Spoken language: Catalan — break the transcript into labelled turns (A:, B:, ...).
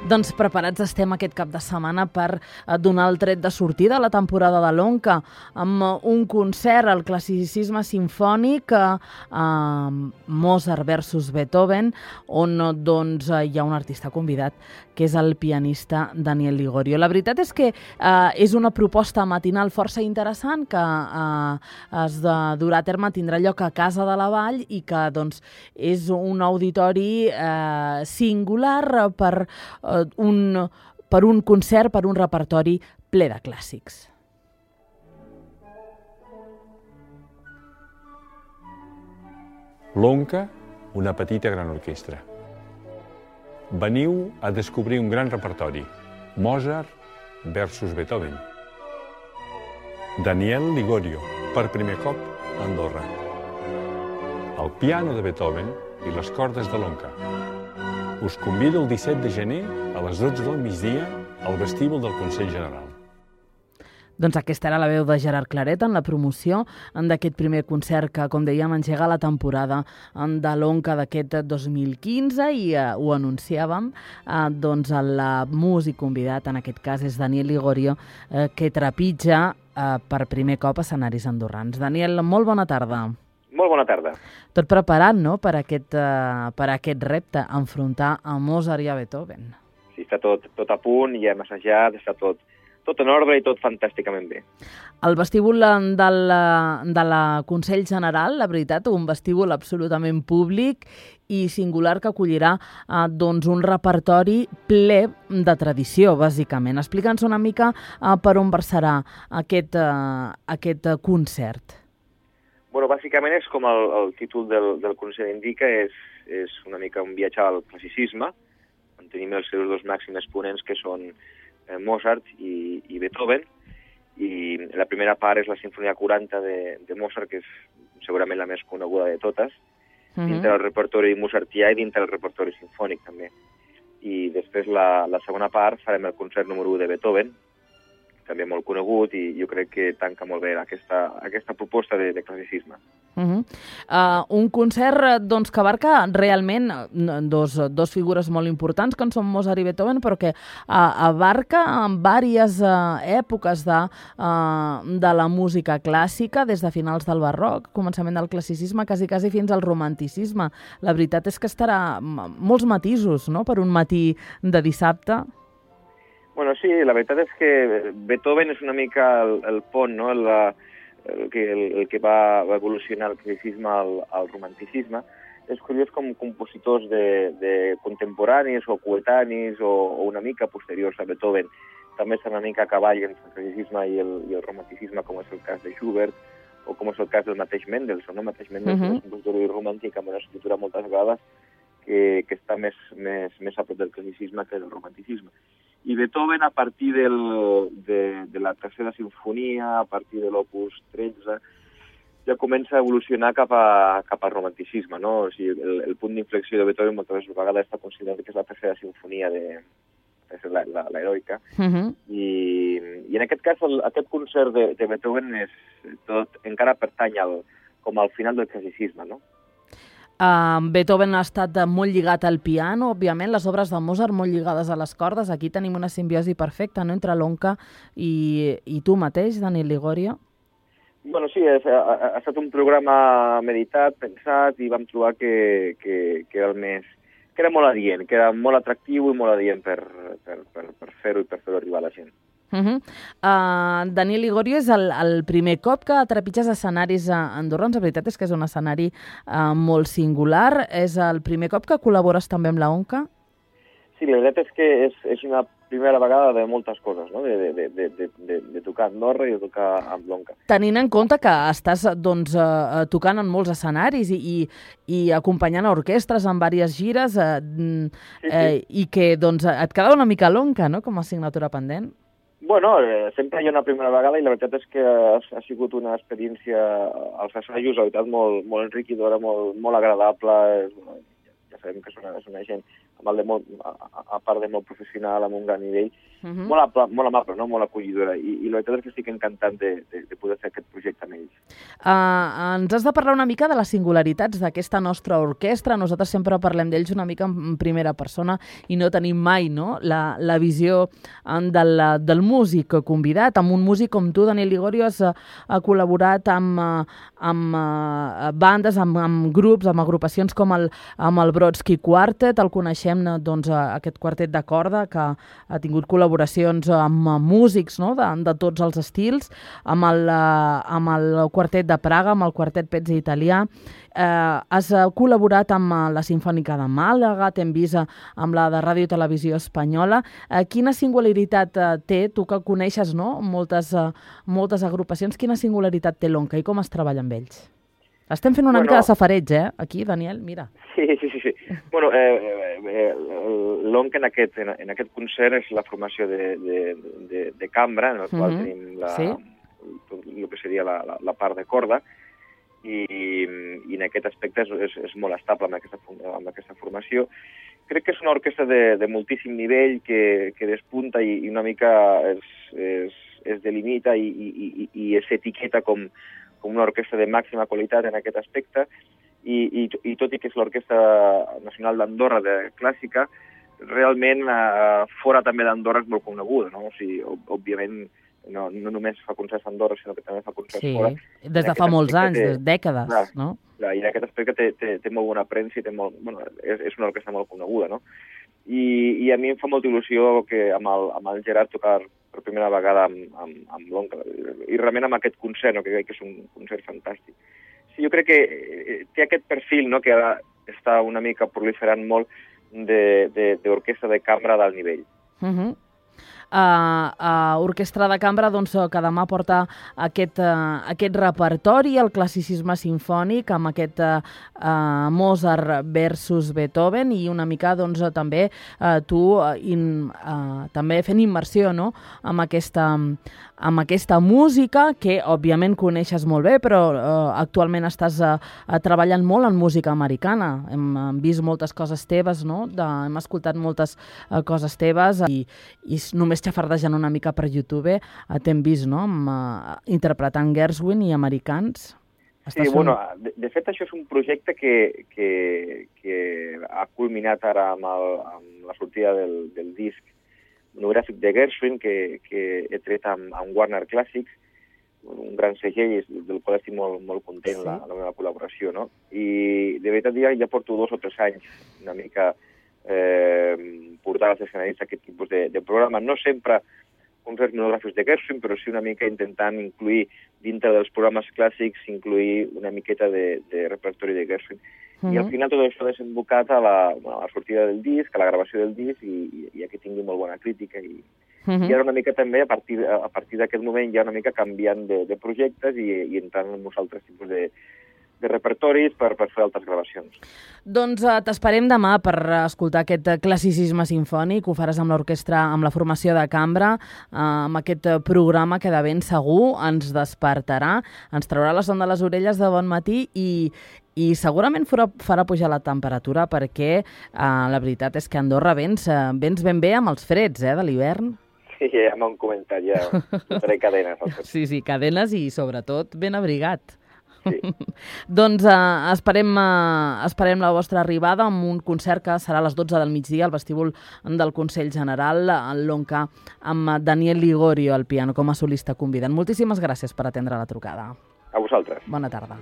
A: Doncs preparats estem aquest cap de setmana per donar el tret de sortida a la temporada de l'Onca amb un concert al classicisme simfònic Mozart versus Beethoven, on doncs, hi ha un artista convidat que és el pianista Daniel Ligorio. La veritat és que és una proposta matinal força interessant que es durà a terme, tindrà lloc a Casa de la Vall i que doncs, és un auditori singular per un concert, per un repertori ple de clàssics.
B: L'Onca, una petita gran orquestra. Veniu a descobrir un gran repertori. Mozart versus Beethoven. Daniel Ligorio, per primer cop a Andorra. El piano de Beethoven i les cordes de l'Onca. Us convido el 17 de gener a les 12 del migdia al vestíbul del Consell General.
A: Doncs aquesta era la veu de Gerard Claret en la promoció d'aquest primer concert que, com dèiem, engega la temporada de l'Onca d'aquest 2015 i ho anunciàvem. Doncs el músic convidat, en aquest cas, és Daniel Ligorio, que trepitja per primer cop escenaris andorrans. Daniel, molt bona tarda.
C: Molt bona tarda.
A: Tot preparat, no?, per aquest repte, enfrontar a Mozart i a Beethoven.
C: Sí, està tot a punt, ja hem assajat, està tot en ordre i tot fantàsticament bé.
A: El vestíbul de la Consell General, la veritat, un vestíbul absolutament públic i singular que acollirà doncs un repertori ple de tradició, bàsicament. Explica'ns una mica per on versarà aquest concert.
C: Bueno, bàsicament és com el títol del concert indica, és una mica un viatge al classicisme, on tenim els seus dos màxims exponents, que són Mozart i Beethoven, i la primera part és la Sinfonia 40 de Mozart, que és segurament la més coneguda de totes, dintre del repertori mozartià i dintre del repertori sinfònic també. I després la segona part farem el concert número 1 de Beethoven, també molt conegut, i jo crec que tanca molt bé aquesta proposta de classicisme.
A: Un concert doncs, que abarca realment dos figures molt importants, que són Mozart i Beethoven, però que abarca diverses èpoques de la música clàssica, des de finals del barroc, començament del classicisme, quasi fins al romanticisme. La veritat és que estarà molts matisos, no?, per un matí de dissabte.
C: Bueno, sí, la veritat és que Beethoven és una mica el pont, no?, el que va evolucionar el classicisme al romanticisme. És curiós com compositors de contemporanis o coetanis o una mica posteriors a Beethoven també estan una mica a cavall entre el classicisme i el romanticisme, com és el cas de Schubert o com és el cas del mateix Mendelssohn. El mateix Mendelssohn és un compositor romàntic amb una escriptura moltes vegades que està més a prop del classicisme que del romanticisme. I Beethoven, a partir de la tercera sinfonia, a partir de l'opus 13, ja comença a evolucionar cap al romanticisme, no? O sigui, el punt d'inflexió de Beethoven moltes vegades està considerat que és la tercera sinfonia l'heroica. I en aquest cas, aquest concert de Beethoven encara pertany com al final del classicisme, no?
A: Beethoven ha estat molt lligat al piano, òbviament, les obres de Mozart molt lligades a les cordes. Aquí tenim una simbiosi perfecta, no?, entre l'Onca i tu mateix, Daniel Ligorio.
C: Bueno, sí, ha estat un programa meditat, pensat, i vam trobar que era molt adient, que era molt atractiu i molt adient per fer-ho i per fer-ho arribar a la gent.
A: Daniel Ligorio, és el primer cop que trepitges escenaris andorrans. La veritat és que és un escenari molt singular. És el primer cop que col·labores també amb l'Onca?
C: Sí, la veritat és que és una primera vegada de moltes coses, no?, de tocar a Andorra i de tocar amb l'Onca.
A: Tenint en compte que estàs tocant en molts escenaris i acompanyant orquestres en diverses gires, i que et quedava una mica l'Onca, no?, com a assignatura pendent.
C: Bueno, sempre hi ha una primera vegada i la veritat és que ha sigut una experiència als assajos, la veritat, molt enriquidora, molt agradable. Ja sabem que és una gent a part de molt professional, amb un gran nivell, molt amable, no? Molt acollidora, i la veritat és que estic encantat de poder fer aquest projecte amb ells.
A: Ens has de parlar una mica de les singularitats d'aquesta nostra orquestra. Nosaltres sempre parlem d'ells una mica en primera persona i no tenim mai, no, la visió del músic convidat. Amb un músic com tu, Daniel Ligorio, has col·laborat amb bandes, amb grups, amb agrupacions com el Brodsky Quartet. El coneixem, doncs, aquest quartet de corda que ha tingut col·laboracions amb músics, no?, de tots els estils, amb el quartet de Praga, amb el quartet Pezzi italià. Has col·laborat amb la Simfònica de Màlaga, t'hem vist amb la de Ràdio i Televisió Espanyola. Quina singularitat té, tu que coneixes, no?, moltes agrupacions, quina singularitat té l'Onca i com es treballa amb ells? Estem fent una mica de safareig, aquí, Daniel, mira.
C: Sí. Bueno, l'Onca en aquest concert és la formació de cambra, en la qual tenim el que seria la part de corda, i en aquest aspecte és molt estable amb aquesta formació. Crec que és una orquestra de moltíssim nivell que despunta i una mica es delimita i s'etiqueta com una orquestra de màxima qualitat en aquest aspecte, i tot i que és l'Orquestra Nacional d'Andorra de clàssica, realment fora també d'Andorra és molt coneguda, no? O sigui, òbviament no només fa concerts a Andorra, sinó que també fa concerts fora.
A: Sí, des de fa molts anys, dècades, no?
C: I en aquest aspecte té molt bona premsa i és una orquestra molt coneguda, no? I a mi em fa molta il·lusió que amb el Gerard tocar per primera vegada amb l'Onca, i realment amb aquest concert, no? Que crec que és un concert fantàstic. Sí, jo crec que té aquest perfil, no?, que ara està una mica proliferant molt d'orquestra de cambra d'alt nivell.
A: Orquestra de cambra, doncs, que demà porta aquest repertori, el classicisme simfònic, amb aquest Mozart versus Beethoven, i una mica, doncs, també tu també fent immersió, no?, amb aquesta música que, òbviament, coneixes molt bé, però actualment estàs treballant molt en música americana. Hem vist moltes coses teves, no?, hem escoltat moltes coses teves, i només xafardejant una mica per YouTube t'hem vist, no?, interpretant Gershwin i americans.
C: Sí, bueno, de fet això és un projecte que ha culminat ara amb la sortida del disc monogràfic de Gershwin que he tret amb Warner Classics, un gran segell del qual estic molt content, la meva col·laboració, no? I de veritat ja porto 2 o 3 anys una mica portar als escenaris aquest tipus de programa. No sempre concerts monogràfics de Gershwin, però sí una mica intentant incluir dintre dels programes clàssics, incluir una miqueta de repertori de Gershwin. I al final tot això ha desembocat a la sortida del disc, a la gravació del disc, i que tingui molt bona crítica. I ara una mica també, a partir d'aquest moment, ja una mica canviant de projectes i entrant en uns altres tipus de repertoris per fer altres gravacions.
A: Doncs t'esperem demà per escoltar aquest classicisme simfònic. Ho faràs amb l'orquestra, amb la formació de cambra, amb aquest programa que de ben segur ens despertarà, ens traurà la son de les orelles de bon matí i segurament farà pujar la temperatura, perquè la veritat és que a Andorra vens ben bé amb els freds de l'hivern.
C: Sí, ja m'han comentat, ja faré cadenes.
A: Sí, cadenes i sobretot ben abrigat. Sí. Doncs esperem la vostra arribada amb un concert que serà a les 12 del migdia al vestíbul del Consell General, al l'Onca, amb Daniel Ligorio al piano com a solista convidant. Moltíssimes gràcies per atendre la trucada.
C: A vosaltres.
A: Bona tarda.